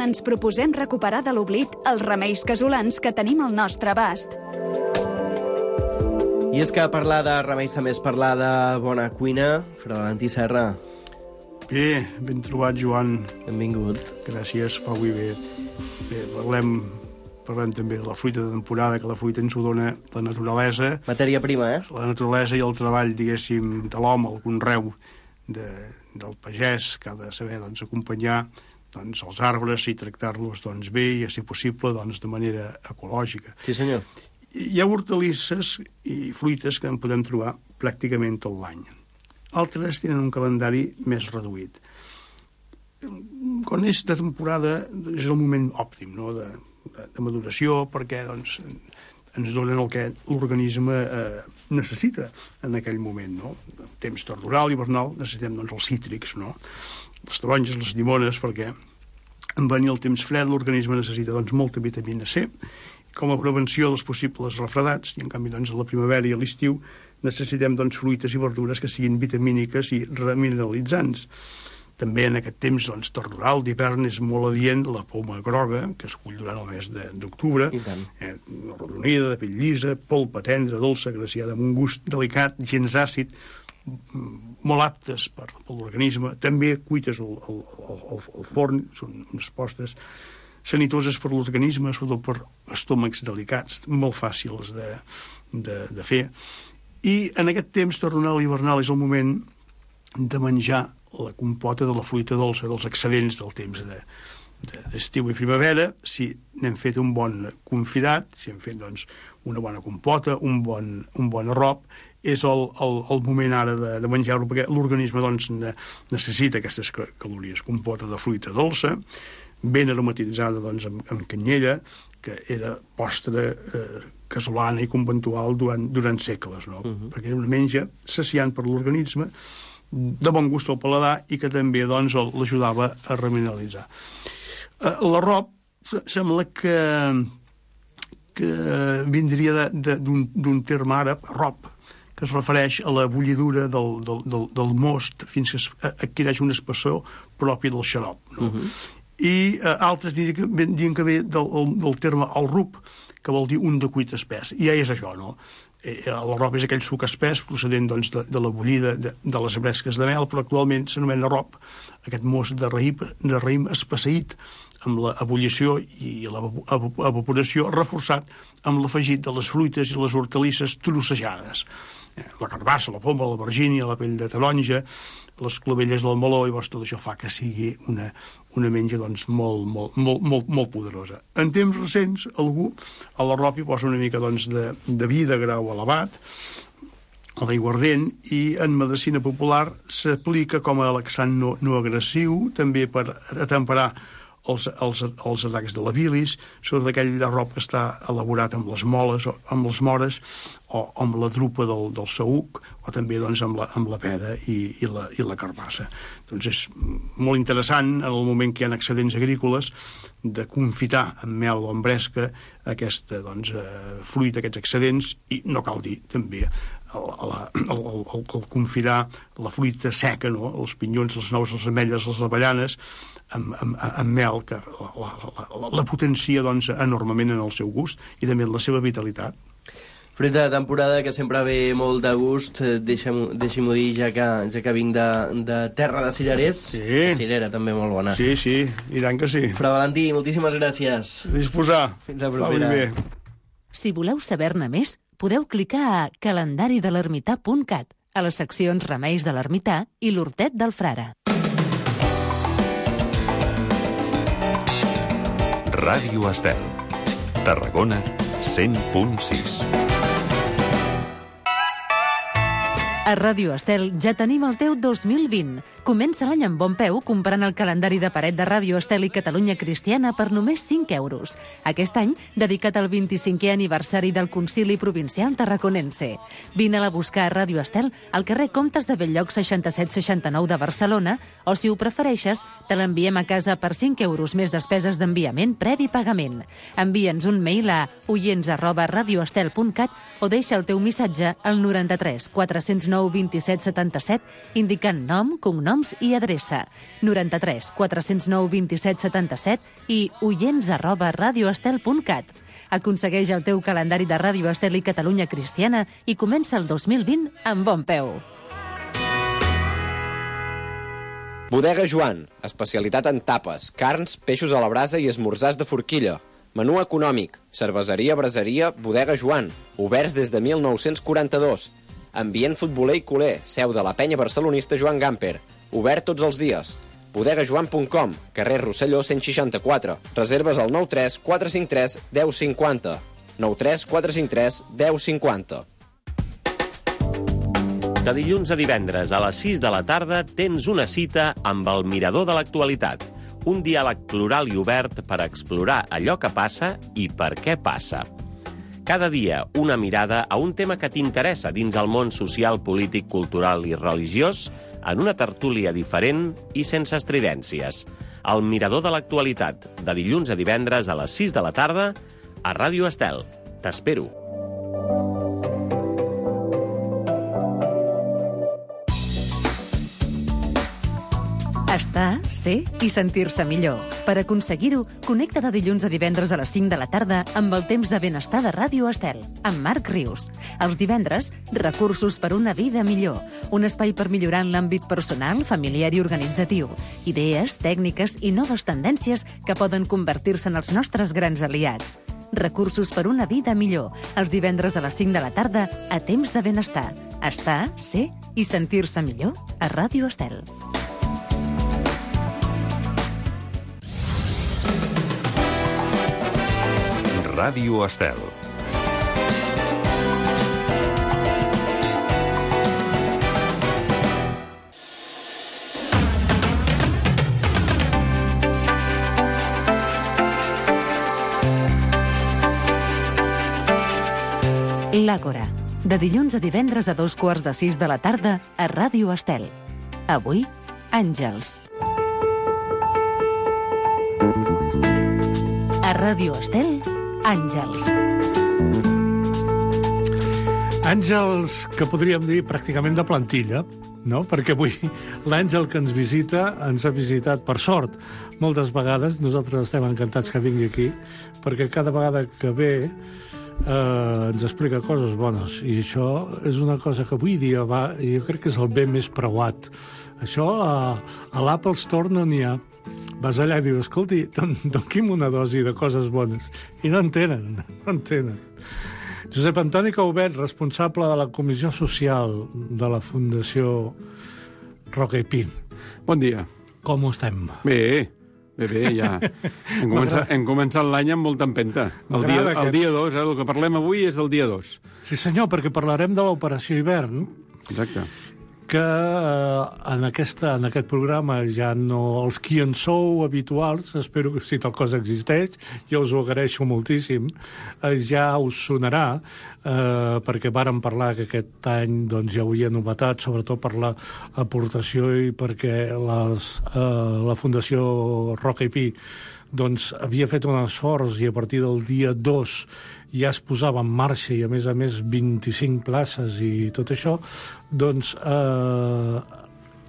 on ens proposem recuperar de l'oblit els remeis casolans que tenim al nostre abast. I és que parlar de remeis també és parlar de bona cuina. Fra Valentí Serra. Bé, ben trobat, Joan. Benvingut. Gràcies, Pau i bé. Bé, parlem també de la fruita de temporada, que la fruita ens ho dona la naturalesa. Matèria prima, La naturalesa i el treball, diguéssim, de l'home, el conreu del pagès, que ha de saber acompanyar els arbres i tractar-los bé i, si possible, de manera ecològica. Sí, senyor. Hi ha hortalisses i fruites que en podem trobar pràcticament tot l'any. Altres tenen un calendari més reduït. Quan és de temporada és el moment òptim, no?, de maduració, perquè ens donen el que l'organisme necessita en aquell moment, no? En temps tardoral, hivernal, necessitem els cítrics, no? Les taronges, les llimones, perquè en venir el temps fred l'organisme necessita molta vitamina C, com a prevenció dels possibles refredats, i en canvi a la primavera i a l'estiu necessitem fruites i verdures que siguin vitamíniques i remineralitzants. També en aquest temps tardoral d'hivern és molt adient la poma groga, que es cull durant el mes d'octubre, arrodonida, de pell llisa, polpa tendra, dolça, agraciada, amb un gust delicat, gens àcid, molt aptes per l'organisme. També cuites al forn, són unes postes sanitoses per l'organisme, sobretot per estómacs delicats, molt fàcils de fer. I en aquest temps tornal i hivernal és el moment de menjar la compota de la fruita dolça, dels excedents del temps d'estiu i primavera. Si n'hem fet un bon confitat, si hem fet una bona compota, un bon arrop, és el moment ara de menjar-ho, perquè l'organisme necessita aquestes calories. Compota de fruita dolça, ben aromatitzada amb canyella, que era postre casolana i conventual durant segles, no? Perquè era una menja saciant per l'organisme, de bon gust al paladar, i que també l'ajudava a remineralitzar. L'arrop sembla que vindria d'un terme àrab, arrop, que es refereix a la bullidura del most fins que adquireix una espessor pròpia del xarop, no? I altres dirien que ve del terme al-rub, que vol dir un de cuit espès. I ja és això, no? L'arrop és aquell suc espès procedent de la bullida de les bresques de mel, però actualment s'anomena arrop, aquest most de raïm espesseït amb l'ebullició i l'evaporació, reforçat amb l'afegit de les fruites i les hortalisses trossejades. La carbassa, la poma, la vergínia, la pell de taronja, les clovelles del meló, i tot això fa que sigui una menja molt poderosa. En temps recents, algú a l'arrop hi posa una mica de vi de grau elevat, o d'aiguardent, i en medicina popular s'aplica com a laxant no agressiu, també per atemperar els atacs de la bilis, sobre aquell arrop que està elaborat amb les moles, o amb les mores, o amb la drupa del saüc, o també amb la pera i la carbassa. Doncs és molt interessant, en el moment que hi ha excedents agrícoles, de confitar amb mel o amb bresca aquesta fruita, aquests excedents, i no cal dir també el confitar la fruita seca, no? Els pinyons, les nous, les ametlles, les avellanes, amb mel, que la potencia enormement en el seu gust i també en la seva vitalitat. Fruita de temporada que sempre ve molt de gust, deixi-m'ho dir, ja que vinc de terra de cirerers. Sí. La cirera també molt bona. Sí, i tant que sí. Fra Valentí, moltíssimes gràcies. A disposar. Fins la propera. Si voleu saber-ne més, podeu clicar a calendaridelermità.cat, a les seccions Remeis de l'Ermità i l'Hortet del Frare. Ràdio Estel, Tarragona 100.6. A Ràdio Estel ja tenim el teu 2020. Comença l'any amb bon peu comprant el calendari de paret de Ràdio Estel i Catalunya Cristiana per només 5 euros. Aquest any, dedicat al 25è aniversari del Concili Provincial Tarraconense. Vine-la a buscar a Ràdio Estel al carrer Comtes de Bell-lloc 6769 de Barcelona, o si ho prefereixes, te l'enviem a casa per 5 euros més despeses d'enviament previ pagament. Envia'ns un mail a oients@radioestel.cat o deixa el teu missatge al 93 409 409 27 77, indicant nom, cognoms i adreça. 93 409 27 77 i oients@radioestel.cat. Aconsegueix el teu calendari de Ràdio Estel i Catalunya Cristiana i comença el 2020 amb bon peu. Bodega Joan, especialitat en tapes, carns, peixos a la brasa i esmorzars de forquilla. Menú econòmic, cerveseria, braseria, Bodega Joan, oberts des de 1942. Ambient futboler i culer, seu de la penya barcelonista Joan Gamper, obert tots els dies. bodegajoan.com, carrer Rosselló 164. Reserves al 93 453 1050. 93 453 1050. De dilluns a divendres a les 6 de la tarda tens una cita amb el Mirador de l'Actualitat. Un diàleg plural i obert per explorar allò que passa i per què passa. Cada dia una mirada a un tema que t'interessa dins el món social, polític, cultural i religiós en una tertúlia diferent i sense estridències. El Mirador de l'Actualitat, de dilluns a divendres a les 6 de la tarda a Ràdio Estel. T'espero. Estar, ser i sentir-se millor. Per aconseguir-ho, connecta de dilluns a divendres a les 5 de la tarda amb el temps de benestar de Ràdio Estel, amb Marc Rius. Els divendres, recursos per una vida millor. Un espai per millorar en l'àmbit personal, familiar i organitzatiu. Idees, tècniques i noves tendències que poden convertir-se en els nostres grans aliats. Recursos per una vida millor. Els divendres a les 5 de la tarda a temps de benestar. Estar, ser i sentir-se millor a Ràdio Estel. Ràdio Estel. L'Àgora, de dilluns a divendres a 2:15 de la tarda a Ràdio Estel. Avui, Àngels. A Ràdio Estel, Àngels. Àngels que podríem dir pràcticament de plantilla, no? Perquè avui l'Àngel que ens visita ens ha visitat, per sort, moltes vegades. Nosaltres estem encantats que vingui aquí, perquè cada vegada que ve ens explica coses bones. I això és una cosa que avui dia va, i jo crec que és el bé més preuat. Això a l'Apple Store no n'hi ha. Vas allà i dius, escolti, donqui'm una dosi de coses bones. I no en tenen. Josep Antoni Caubet, responsable de la Comissió Social de la Fundació Roca i Pi. Bon dia. Com estem? Bé, ja. Hem començat l'any amb molta empenta. El dia 2, el que parlem avui és del dia 2. Sí, senyor, perquè parlarem de l'Operació Hivern. Exacte. Que en aquest programa ja no... Els qui en sou habituals, espero que si tal cosa existeix, jo us ho agraeixo moltíssim, ja us sonarà, perquè vàrem parlar que aquest any doncs, hi hauria novetats, sobretot per l'aportació i perquè la Fundació Roca i Pi doncs, havia fet un esforç i a partir del dia 2 ja es posava en marxa i, a més 25 places i tot això, doncs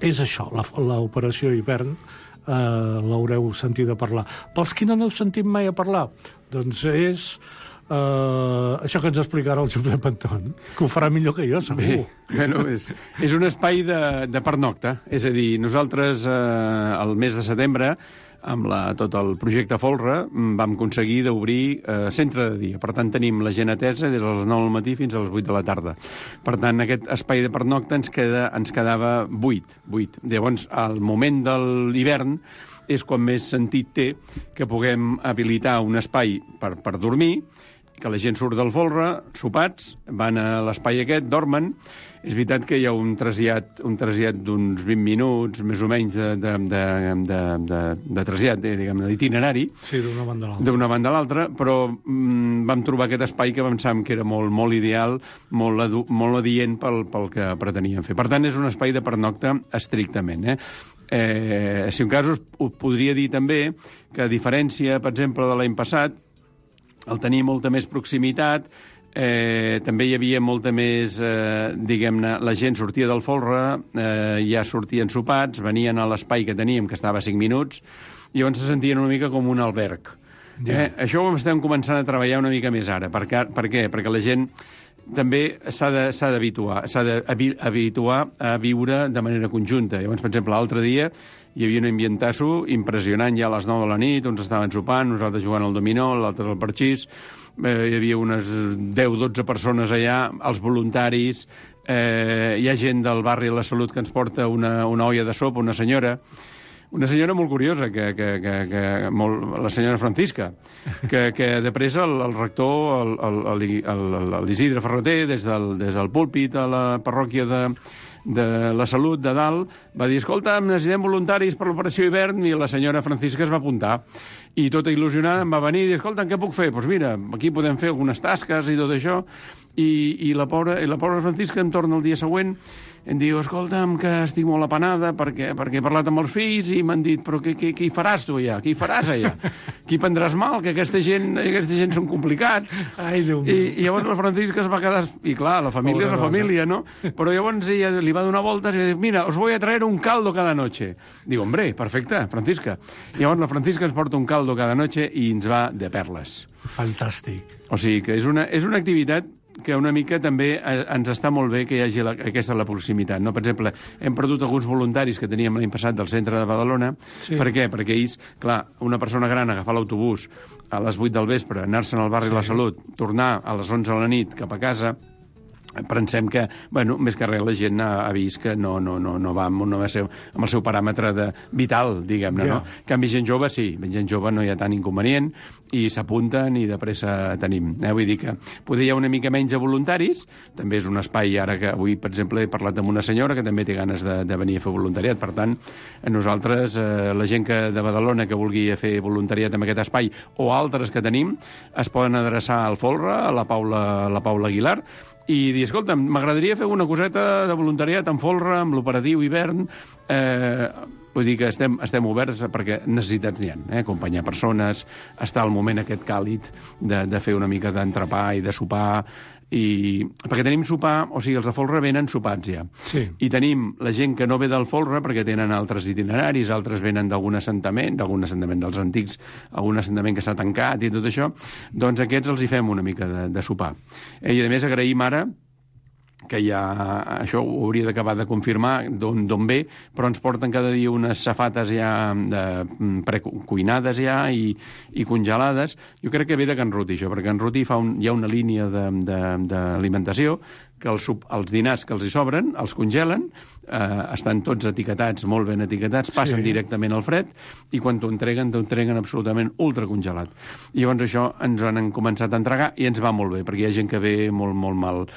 és això, l'operació Hivern, l'haureu sentit a parlar. Pels qui no n'heu sentit mai a parlar, doncs és això que ens explicarà el Josep Anton, que ho farà millor que jo, segur. Bueno, és un espai de pernocta, és a dir, nosaltres el mes de setembre amb tot el projecte Folra vam aconseguir d'obrir centre de dia. Per tant, tenim la gent atesa des de les 9 del matí fins a les 8 de la tarda. Per tant, aquest espai de pernocta ens quedava buit. Llavors, al moment de l'hivern és quan més sentit té que puguem habilitar un espai per dormir, que la gent surt del folre, sopats, van a l'espai aquest, dormen. És veritat que hi ha un trasllat d'uns 20 minuts, més o menys, de trasllat, diguem-ne, d'itinerari. Sí, d'una banda a l'altra. D'una banda a l'altra, però vam trobar aquest espai que pensàvem que era molt ideal, molt adient pel que preteníem fer. Per tant, és un espai de pernocta estrictament. Si un cas us podria dir també que, a diferència, per exemple, de l'any passat, el tenir molta més proximitat, També hi havia molta més, diguem-ne, la gent sortia del folre, ja sortien sopats, venien a l'espai que teníem, que estava a 5 minuts, i llavors se sentien una mica com un alberg. Això ho estem començant a treballar una mica més ara. Per què? Perquè la gent també s'ha d'habituar a viure de manera conjunta. Llavors, per exemple, l'altre dia hi havia un ambientasso impressionant ja a les 9 de la nit, uns estaven sopant, nosaltres jugant al dominó, l'altre al parxís, hi havia unes 10-12 persones allà, els voluntaris, hi ha gent del barri de la Salut que ens porta una olla de sopa, una senyora molt curiosa, la senyora Francisca, que de pressa el rector, l'Isidre Ferreter, des del púlpit a la parròquia de la Salut de dalt, va dir, escolta, necessitem voluntaris per l'operació hivern, i la senyora Francisca es va apuntar. I tota il·lusionada em va venir i dir, escolta, què puc fer? Doncs mira, aquí podem fer algunes tasques i tot això. I la pobra Francisca em torna el dia següent, em diu, escolta'm, que estic molt apenada perquè he parlat amb els fills i m'han dit, però què hi faràs tu allà? Què hi faràs allà? Qui prendràs mal? Que aquesta gent són complicats. Ai, Déu meu. I llavors la Francisca es va quedar... I clar, la família és la família, no? Però llavors ella li va donar voltes i va dir, mira, os voy a traer un caldo cada noche. Diu, hombre, perfecte, Francisca. I llavors la Francisca ens porta un caldo cada noche i ens va de perles. Fantàstic. O sigui que és una activitat que una mica també ens està molt bé que hi hagi aquesta la proximitat. No? Per exemple, hem perdut alguns voluntaris que teníem l'any passat del centre de Badalona. Sí. Per què? Perquè ells, clar, una persona gran agafar l'autobús a les 8 del vespre, anar-se'n al barri de la Salut, tornar a les 11 de la nit cap a casa, pensem que, bueno, més que res la gent ha vist que no va amb el seu paràmetre vital, diguem-ne, no? En canvi, gent jove, sí, gent jove no hi ha tant inconvenient i s'apunten i de pressa tenim. Vull dir que poder hi ha una mica menys de voluntaris, també és un espai, ara que avui, per exemple, he parlat amb una senyora que també té ganes de venir a fer voluntariat. Per tant, nosaltres, la gent de Badalona que vulgui fer voluntariat en aquest espai o altres que tenim, es poden adreçar al Folre, a la Paula Aguilar, i dir, escolta, m'agradaria fer una coseta de voluntariat en folre, amb l'operatiu hivern. Vull dir que estem oberts perquè necessitats n'hi ha, acompanyar persones, estar al moment aquest càlid de fer una mica d'entrepà i de sopar, perquè tenim sopar, o sigui, els de folre venen sopats ja. Sí. I tenim la gent que no ve del folre perquè tenen altres itineraris, altres venen d'algun assentament dels antics, algun assentament que s'ha tancat i tot això, doncs aquests els hi fem una mica de sopar. I a més agraïm ara que ja, això ho hauria d'acabar de confirmar d'on ve, però ens porten cada dia unes safates ja precuinades ja i congelades. Jo crec que ve de Can Ruti, això, perquè Can Ruti hi ha una línia d'alimentació que els dinars que els hi sobren, els congelen, estan tots etiquetats, molt ben etiquetats, passen directament al fred, i quan t'ho entreguen absolutament ultracongelat. I llavors això ens han començat a entregar i ens va molt bé, perquè hi ha gent que ve molt mal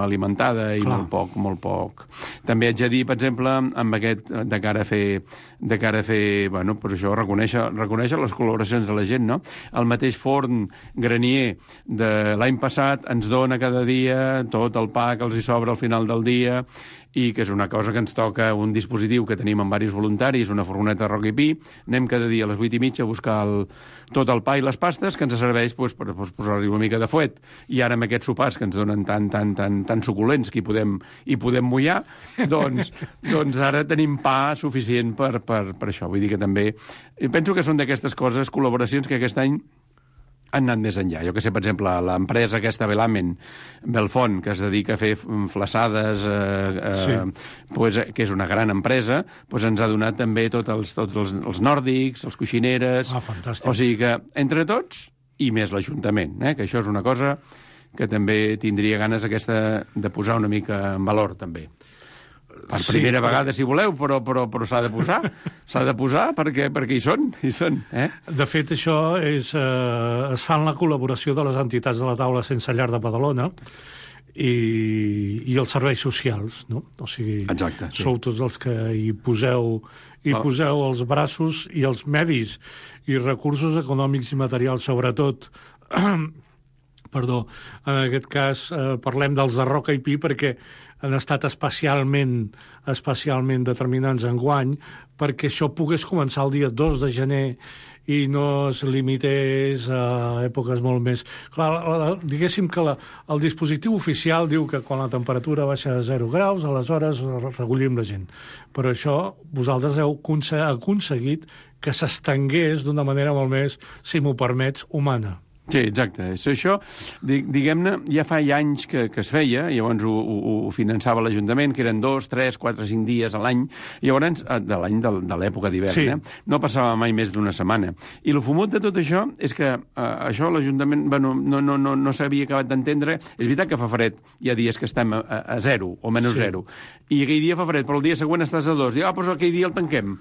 alimentada i molt poc. També haig de dir, per exemple, amb aquest, de cara a fer, bueno, doncs això, reconèixer les col·laboracions de la gent, no? El mateix forn granier de l'any passat ens dona cada dia tot el pa que els hi sobra al final del dia, i que és una cosa que ens toca un dispositiu que tenim amb diversos voluntaris, una furgoneta de roc i pi, anem cada dia a les 8:30 a buscar tot el pa i les pastes que ens serveix per posar-hi una mica de fuet. I ara amb aquests sopars que ens donen tan suculents que hi podem mullar, doncs ara tenim pa suficient per això. Vull dir que també penso que són d'aquestes coses, col·laboracions que aquest any han anat més enllà. Jo que sé, per exemple, l'empresa aquesta Velamen, Belfont, que es dedica a fer flaçades, que és una gran empresa, ens ha donat també tots els nòrdics, els coixineres... Fantàstic. O sigui que, entre tots, i més l'Ajuntament, que això és una cosa que també tindria ganes de posar una mica en valor, també. Per primera vegada, si voleu, però s'ha de posar, perquè hi són. De fet, això es fa en la col·laboració de les entitats de la taula sense llar de Badalona i els serveis socials, no? O sigui, exacte, sí. Sou tots els que hi poseu els braços i els medis i recursos econòmics i materials, sobretot en aquest cas parlem dels de Roca i Pi perquè han estat especialment determinants enguany perquè això pogués començar el dia 2 de gener i no es limités a èpoques molt més... Clar, diguéssim que el dispositiu oficial diu que quan la temperatura baixa a 0 graus, aleshores recollim la gent. Però això vosaltres heu aconseguit que s'estengués d'una manera molt més, si m'ho permets, humana. Sí, exacte. Això, diguem-ne, ja fa anys que es feia, llavors ho finançava l'Ajuntament, que eren 2, 3, 4, 5 dies a l'any, llavors, de l'any de l'època d'hivern, sí. No passava mai més d'una setmana. I el fumut de tot això és que això l'Ajuntament no s'havia acabat d'entendre. És veritat que fa fred, hi ha dies que estem a 0 o menys 0, i aquell dia fa fred, però el dia següent estàs a 2. Doncs aquell dia el tanquem.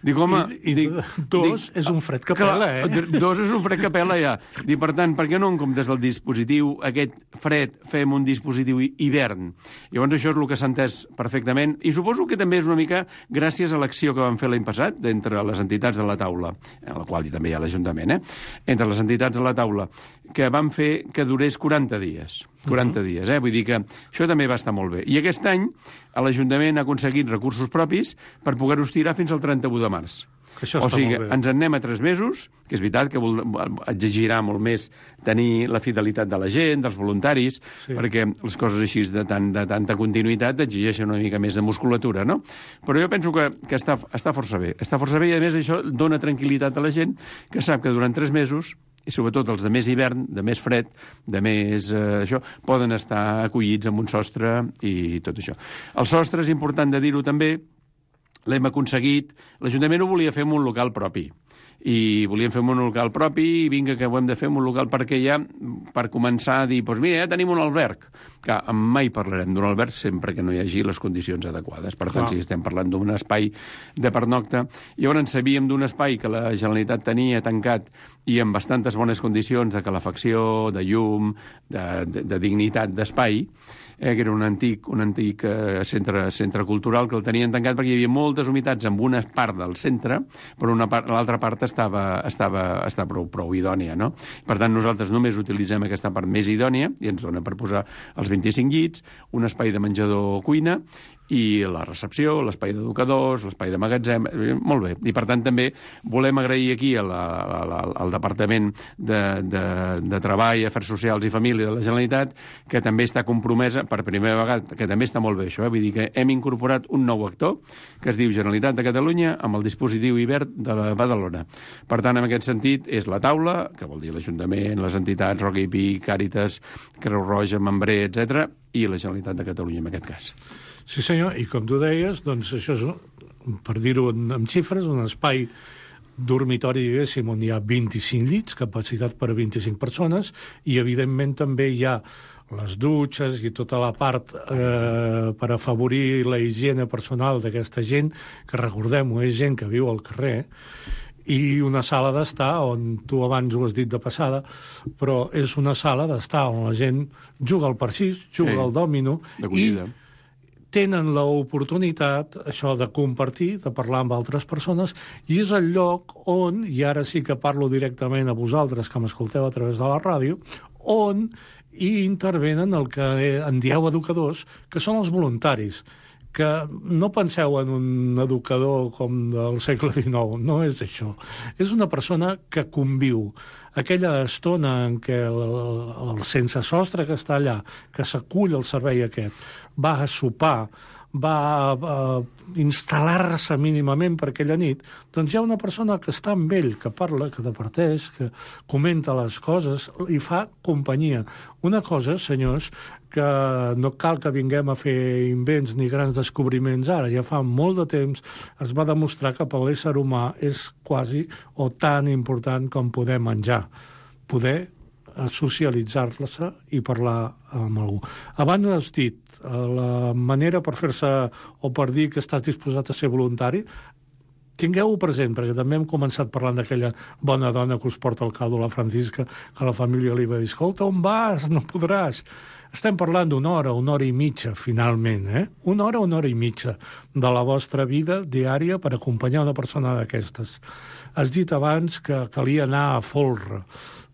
Dic, home... Dos és un fred que pela, Dos és un fred que pela, ja. Dic, per tant, per què no en comptes del dispositiu aquest fred fem un dispositiu hivern? Llavors això és el que s'ha entès perfectament, i suposo que també és una mica gràcies a l'acció que van fer l'any passat entre les entitats de la taula, en la qual també hi ha l'Ajuntament, entre les entitats de la taula, que van fer que durés 40 dies. 40 dies, Vull dir que això també va estar molt bé. I aquest any l'Ajuntament ha aconseguit recursos propis per poder-ho estirar fins al 31 de març. O sigui, ens en anem a 3 mesos, que és veritat que exigirà molt més tenir la fidelitat de la gent, dels voluntaris, perquè les coses així de tanta continuïtat exigeixen una mica més de musculatura, no? Però jo penso que està força bé. Està força bé i, a més, això dona tranquil·litat a la gent que sap que durant 3 mesos, i sobretot els de més hivern, de més fred, de més això, poden estar acollits amb un sostre i tot això. El sostre, és important de dir-ho també, l'hem aconseguit. L'Ajuntament ho volia fer en un local propi. I volíem fer un local propi i vinga que ho hem de fer en un local perquè ja, per començar a dir, doncs mira, ja tenim un alberg. Que mai parlarem d'un alberg sempre que no hi hagi les condicions adequades. Per tant, si estem parlant d'un espai de pernocta, llavors sabíem d'un espai que la Generalitat tenia tancat i amb bastantes bones condicions de calefacció, de llum, de dignitat d'espai, que era un antic centre cultural que el tenien tancat perquè hi havia moltes humitats en una part del centre, però l'altra part està prou idònia, no? Per tant, nosaltres només utilitzem aquesta part més idònia i ens dona per posar els 25 llits, un espai de menjador-cuina i la recepció, l'espai d'educadors, l'espai de magatzem, molt bé. I, per tant, també volem agrair aquí al Departament de Treball, Afers Socials i Família de la Generalitat, que també està compromesa, per primera vegada, que també està molt bé això, vull dir que hem incorporat un nou actor, que es diu Generalitat de Catalunya, amb el dispositiu hivern de Badalona. Per tant, en aquest sentit, és la taula, que vol dir l'Ajuntament, les entitats, Roca i Pi, Càritas, Creu Roja, Membré, etc., i la Generalitat de Catalunya, en aquest cas. Sí, senyor, i com tu deies, doncs això és, per dir-ho amb xifres, un espai dormitori, diguéssim, on hi ha 25 llits, capacitat per a 25 persones, i evidentment també hi ha les dutxes i tota la part per afavorir la higiene personal d'aquesta gent, que recordem-ho, és gent que viu al carrer, i una sala d'estar on, tu abans ho has dit de passada, però és una sala d'estar on la gent juga al parxís, juga al dòmino, i tenen l'oportunitat, això, de compartir, de parlar amb altres persones, i és el lloc on, i ara sí que parlo directament a vosaltres que m'escolteu a través de la ràdio, on hi intervenen el que en dieu educadors, que són els voluntaris, que no penseu en un educador com del segle XIX, no és això. És una persona que conviu. Aquella estona en què el sense sostre que està allà, que s'acull al servei aquest, va a sopar, va a instal·lar-se mínimament per aquella nit, doncs hi ha una persona que està amb ell, que parla, que departeix, que comenta les coses i fa companyia. Una cosa, senyors, que no cal que vinguem a fer invents ni grans descobriments ara. Ja fa molt de temps es va demostrar que per l'ésser humà és quasi o tan important com poder menjar, poder socialitzar-se i parlar amb algú. Abans has dit la manera per fer-se o per dir que estàs disposat a ser voluntari. Tingueu-ho present, perquè també hem començat parlant d'aquella bona dona que us porta al caldo, la Francisca, que la família li va dir, escolta, on vas? No podràs. Estem parlant d'una hora i mitja, finalment, Una hora i mitja de la vostra vida diària per acompanyar una persona d'aquestes. Has dit abans que calia anar a folre.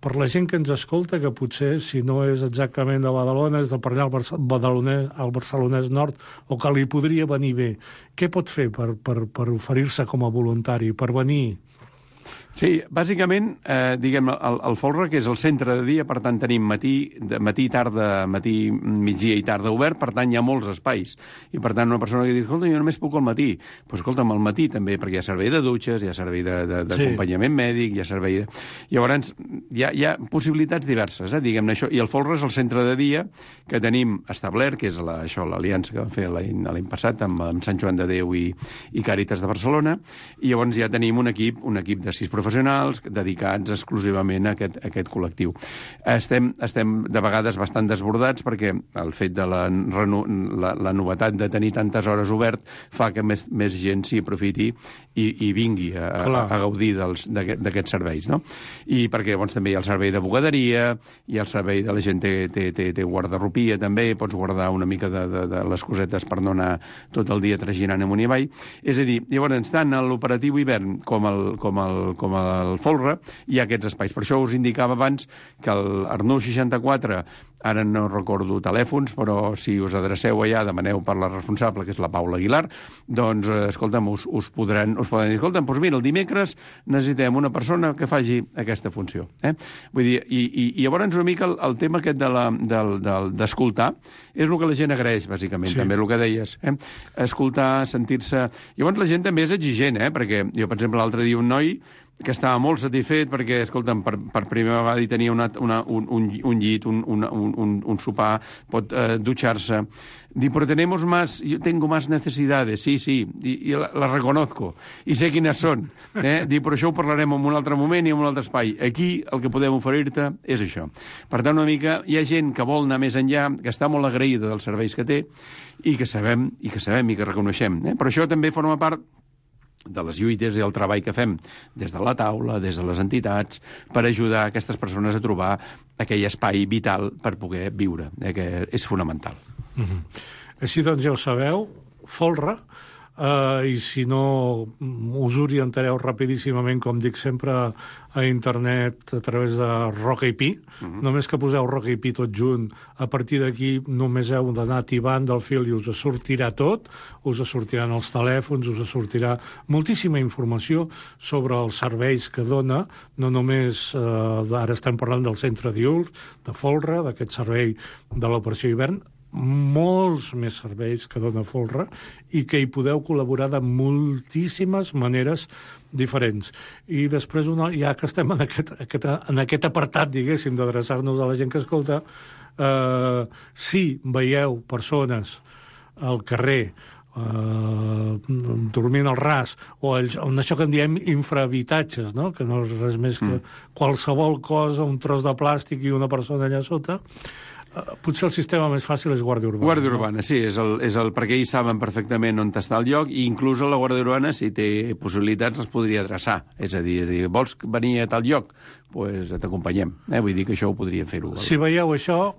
Per la gent que ens escolta, que potser, si no és exactament de Badalona, és de per allà al Barcelonès Nord, o que li podria venir bé, què pot fer per oferir-se com a voluntari, per venir? Sí, bàsicament, diguem, el folre, que és el centre de dia, per tant, tenim matí, tarda, matí, migdia i tarda obert, per tant, hi ha molts espais. I, per tant, una persona que diu, escolta, jo només puc al matí. Doncs, escolta'm, al matí també, perquè hi ha servei de dutxes, hi ha servei d'acompanyament mèdic, hi ha servei de... Llavors, hi ha possibilitats diverses, diguem-ne això. I el folre és el centre de dia que tenim establert, que és l'aliança que vam fer l'any passat amb Sant Joan de Déu i Càritas de Barcelona, i llavors ja tenim un equip de 6 professionals dedicats exclusivament a aquest col·lectiu. Estem de vegades bastant desbordats perquè el fet de la novetat de tenir tantes hores obert fa que més gent s'hi aprofiti i vingui a gaudir d'aquests serveis, no? I perquè llavors també hi ha el servei de bugaderia, hi ha el servei de la gent té guardarropia també, pots guardar una mica de les cosetes per no anar tot el dia traginant amunt i avall. És a dir, llavors, tant a l'operatiu hivern com al folre, hi ha aquests espais. Per això us indicava abans que el Arnús 64, ara no recordo telèfons, però si us adreceu allà, demaneu per la responsable, que és la Paula Aguilar, doncs, escolta'm, us poden dir, escolta'm, doncs mira, el dimecres necessitem una persona que faci aquesta funció. Vull dir, i llavors una mica el tema aquest d'escoltar és el que la gent agraeix, bàsicament, també el que deies. Escoltar, sentir-se... Llavors la gent també és exigent, perquè jo, per exemple, l'altre dia un noi que estava molt satisfet perquè, escolta'm, per primera vegada hi tenia un llit, un sopar, pot dutxar-se. Diu, però yo tengo más necesidades, sí, y las reconozco, i sé quines són. Diu, però això ho parlarem en un altre moment i en un altre espai. Aquí el que podem oferir-te és això. Per tant, una mica, hi ha gent que vol anar més enllà, que està molt agraïda dels serveis que té i que sabem i que reconeixem. Però això també forma part de les lluites i el treball que fem des de la taula, des de les entitats, per ajudar aquestes persones a trobar aquell espai vital per poder viure, que és fonamental. Així doncs ja ho sabeu, folre, i si no us orientareu rapidíssimament, com dic sempre, a internet a través de Rock IP. Només que poseu Rock IP tot junt, a partir d'aquí només heu d'anar tibant del fil i us sortirà tot, us sortiran els telèfons, us sortirà moltíssima informació sobre els serveis que dona, no només, ara estem parlant del centre diürn, de folre, d'aquest servei de l'operació hivern, molts més serveis que dona folre i que hi podeu col·laborar de moltíssimes maneres diferents. I després, ja que estem en aquest apartat, diguéssim, d'adreçar-nos a la gent que escolta, si veieu persones al carrer dormint al ras, o això que en diem infrahabitatges, no? Que no és res més que qualsevol cosa, un tros de plàstic i una persona allà sota, potser el sistema més fàcil és Guàrdia Urbana. Guàrdia Urbana, sí, perquè ells saben perfectament on està el lloc, i inclús la Guàrdia Urbana, si té possibilitats, els podria adreçar. És a dir, vols venir a tal lloc? Doncs t'acompanyem. Vull dir que això ho podria fer-ho. Si veieu això,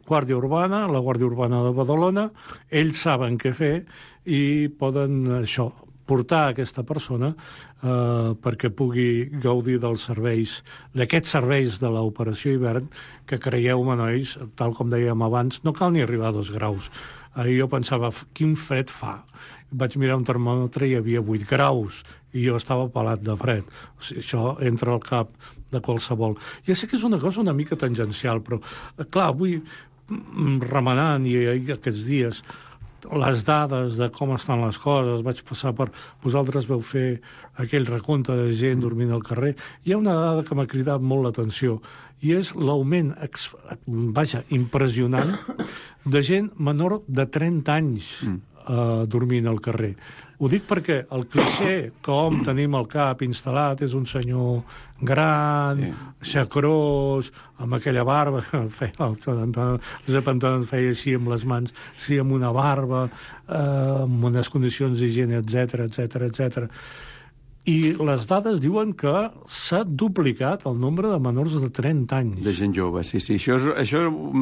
Guàrdia Urbana, la Guàrdia Urbana de Badalona, ells saben què fer i poden, portar aquesta persona perquè pugui gaudir dels serveis, d'aquests serveis de l'operació hivern, que creieu-me, nois, tal com dèiem abans, no cal ni arribar a 2 graus. Ahir jo pensava, quin fred fa. Vaig mirar un termòmetre i hi havia 8 graus, i jo estava pelat de fred. O sigui, això entra al cap de qualsevol. Ja sé que és una cosa una mica tangencial, però, clar, avui, remenant, i aquests dies, les dades de com estan les coses, vaig passar per... Vosaltres vau fer aquell recompte de gent dormint al carrer. Hi ha una dada que m'ha cridat molt l'atenció, i és l'augment, impressionant, de gent menor de 30 anys dormint al carrer. Ho dic perquè el clixé que hom tenim al cap instal·lat és un senyor gran, xacrós, amb aquella barba, feia així amb les mans, sí, amb una barba, amb unes condicions d'higiene, etc. I les dades diuen que s'ha duplicat el nombre de menors de 30 anys. De gent jove, sí. Això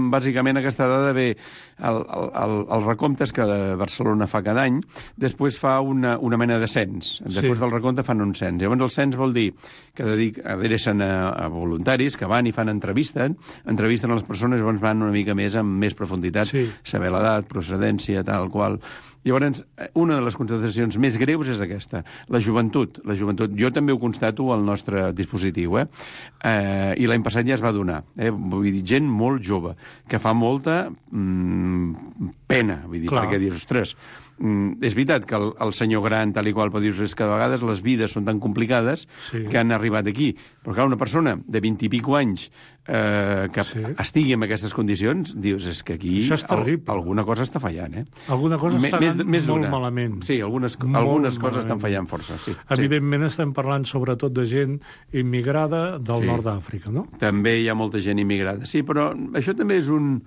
bàsicament, aquesta dada ve els recomptes que Barcelona fa cada any, després fa una mena de cens. Després del recompte fan un cens. Llavors el cens vol dir que adrecen a voluntaris que van i fan entrevisten a les persones, llavors van una mica més amb més profunditat, saber l'edat, procedència, tal qual. Llavors, una de les constatacions més greus és aquesta, la joventut. Jo també ho constato al nostre dispositiu, i l'any passat ja es va donar. Vull dir, gent molt jove, que fa molta pena, vull dir, perquè dius, ostres, és veritat que el senyor gran, tal i qual, però dius, és que a vegades les vides són tan complicades que han arribat aquí. Però clar, una persona de 20 i pico anys que estigui en aquestes condicions, dius, és que aquí alguna cosa està fallant, Alguna cosa està anant molt malament. Sí, algunes coses estan fallant força. Evidentment estem parlant sobretot de gent immigrada del nord d'Àfrica, no? També hi ha molta gent immigrada. Sí, però això també és un...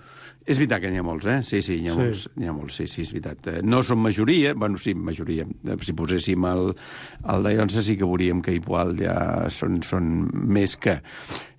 És veritat que n'hi ha molts, Sí, n'hi ha molts, sí, és veritat. No són majoria, bueno, sí, majoria. Si poséssim el de Llonsa sí que veuríem que igual ja són més que...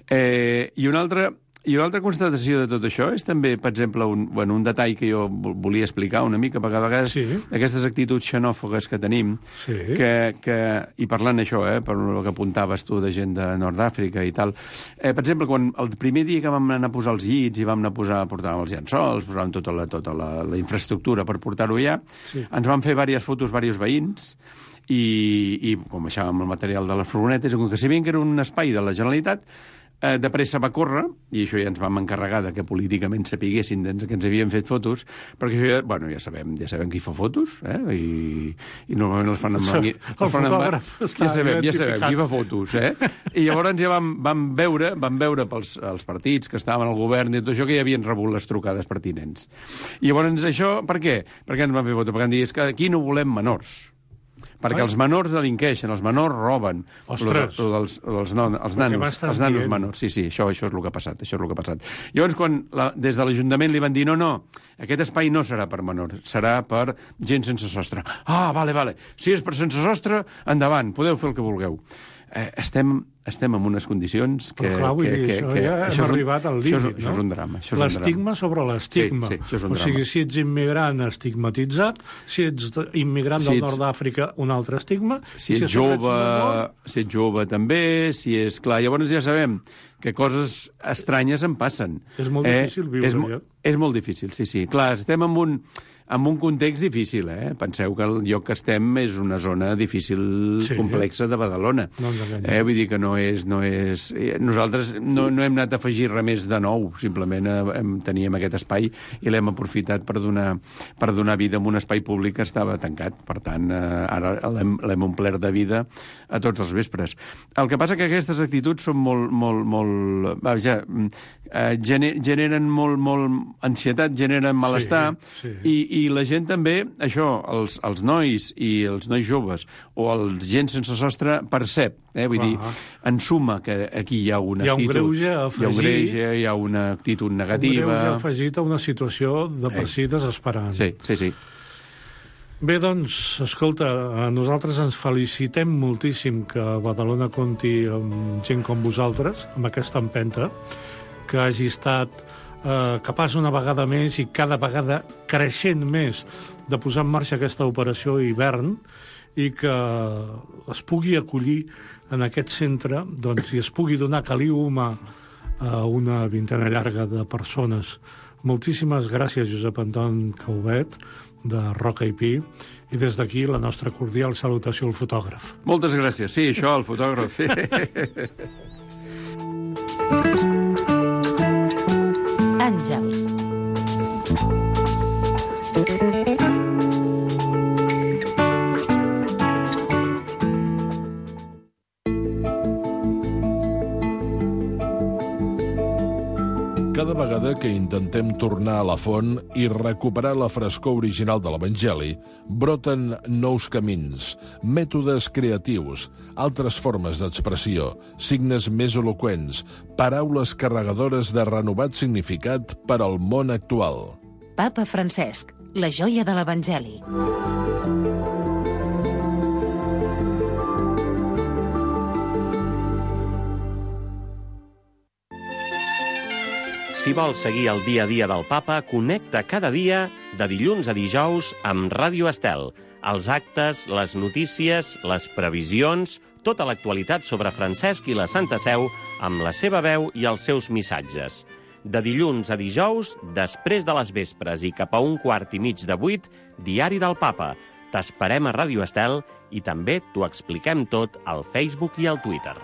I una altra constatació de tot això és també, per exemple, un detall que jo volia explicar una mica, perquè a vegades aquestes actituds xenòfogues que tenim, i parlant això, per el que apuntaves tu de gent de Nord d'Àfrica i tal, per exemple, quan el primer dia que vam anar a posar els llits i vam anar a portàvem els llençols, posàvem tota la infraestructura per portar-ho allà, ens van fer diverses fotos, diversos veïns, i com deixàvem el material de les furgonetes, com que sabien que era un espai de la Generalitat, de pressa va córrer, i això ja ens vam encarregar que políticament sapiguessin que ens havien fet fotos, perquè això ja sabem qui fa fotos, i normalment els fan amb... El fotògraf està ja sabem qui fa fotos, I llavors ja vam veure pels partits que estaven al govern i tot això que ja havien rebut les trucades pertinents. I llavors això, per què? Perquè ens van fer fotos? Perquè han dit que aquí no volem menors. Perquè els menors delinqueixen, els menors roben. Ostres! Els nanos menors. Sí, això és el que ha passat. Llavors, quan des de l'Ajuntament li van dir no, aquest espai no serà per menors, serà per gent sense sostre. Ah, vale. Si és per sense sostre, endavant, podeu fer el que vulgueu. Estem en unes condicions que... Però clar, vull dir, això ja hem arribat al límit, no? Això és un drama. L'estigma sobre l'estigma. Sí, això és un drama. O sigui, si ets immigrant, estigmatitzat, si ets immigrant del nord d'Àfrica, un altre estigma... Si ets jove també, si és... Clar, llavors ja sabem que coses estranyes en passen. És molt difícil viure. És molt difícil, sí. Clar, estem en un context difícil, Penseu que el lloc que estem és una zona difícil, complexa de Badalona. Vull dir que no és... Nosaltres no hem anat a afegir res més de nou, simplement teníem aquest espai i l'hem aprofitat per donar vida a un espai públic que estava tancat. Per tant, ara l'hem omplert de vida a tots els vespres. El que passa que aquestes actituds són molt... generen molt ansietat, generen malestar, i la gent també, això, els nois i els nois joves o els gent sense sostre percep, vull dir, ensuma que aquí hi ha una actitud... greuge a afegir... Hi ha una actitud negativa... Un greuge afegit a una situació de per si desesperant. Sí. Bé, doncs, escolta, nosaltres ens felicitem moltíssim que Badalona compti amb gent com vosaltres, amb aquesta empenta, que hagi estat capaç una vegada més i cada vegada creixent més de posar en marxa aquesta operació hivern i que es pugui acollir en aquest centre i es pugui donar caliu humà a una vintena llarga de persones. Moltíssimes gràcies, Josep Anton Caubet, de Roca i Pi, i des d'aquí la nostra cordial salutació al fotògraf. Moltes gràcies. Sí, això, el fotògraf. Àngels. Cada vegada que intentem tornar a la font i recuperar la frescor original de l'Evangeli, broten nous camins, mètodes creatius, altres formes d'expressió, signes més eloqüents, paraules carregadores de renovat significat per al món actual. Papa Francesc, la joia de l'Evangeli. Si vols seguir el dia a dia del papa, connecta cada dia, de dilluns a dijous, amb Ràdio Estel. Els actes, les notícies, les previsions, tota l'actualitat sobre Francesc i la Santa Seu, amb la seva veu i els seus missatges. De dilluns a dijous, després de les vespres i cap a 7:15, Diari del Papa. T'esperem a Ràdio Estel i també t'ho expliquem tot al Facebook i al Twitter.